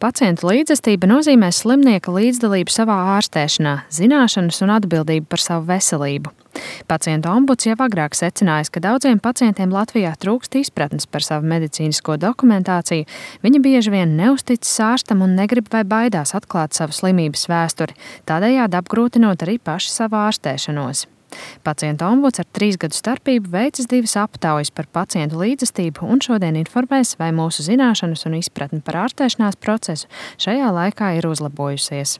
Pacientu līdzestība nozīmē slimnieka līdzdalību savā ārstēšanā, zināšanas un atbildību par savu veselību. Pacientu ombuds jau agrāk secinājis, ka daudziem pacientiem Latvijā trūkst izpratnes par savu medicīnisko dokumentāciju, viņi bieži vien neusticas ārstam un negrib vai baidās atklāt savu slimības vēsturi, tādējādi apgrūtinot arī paši savu ārstēšanos. Pacientu ombuds ar 3 gadu starpību veicis 2 aptaujas par pacientu līdzestību un šodien informēs, vai mūsu zināšanas un izpratne par ārstēšanās procesu šajā laikā ir uzlabojusies.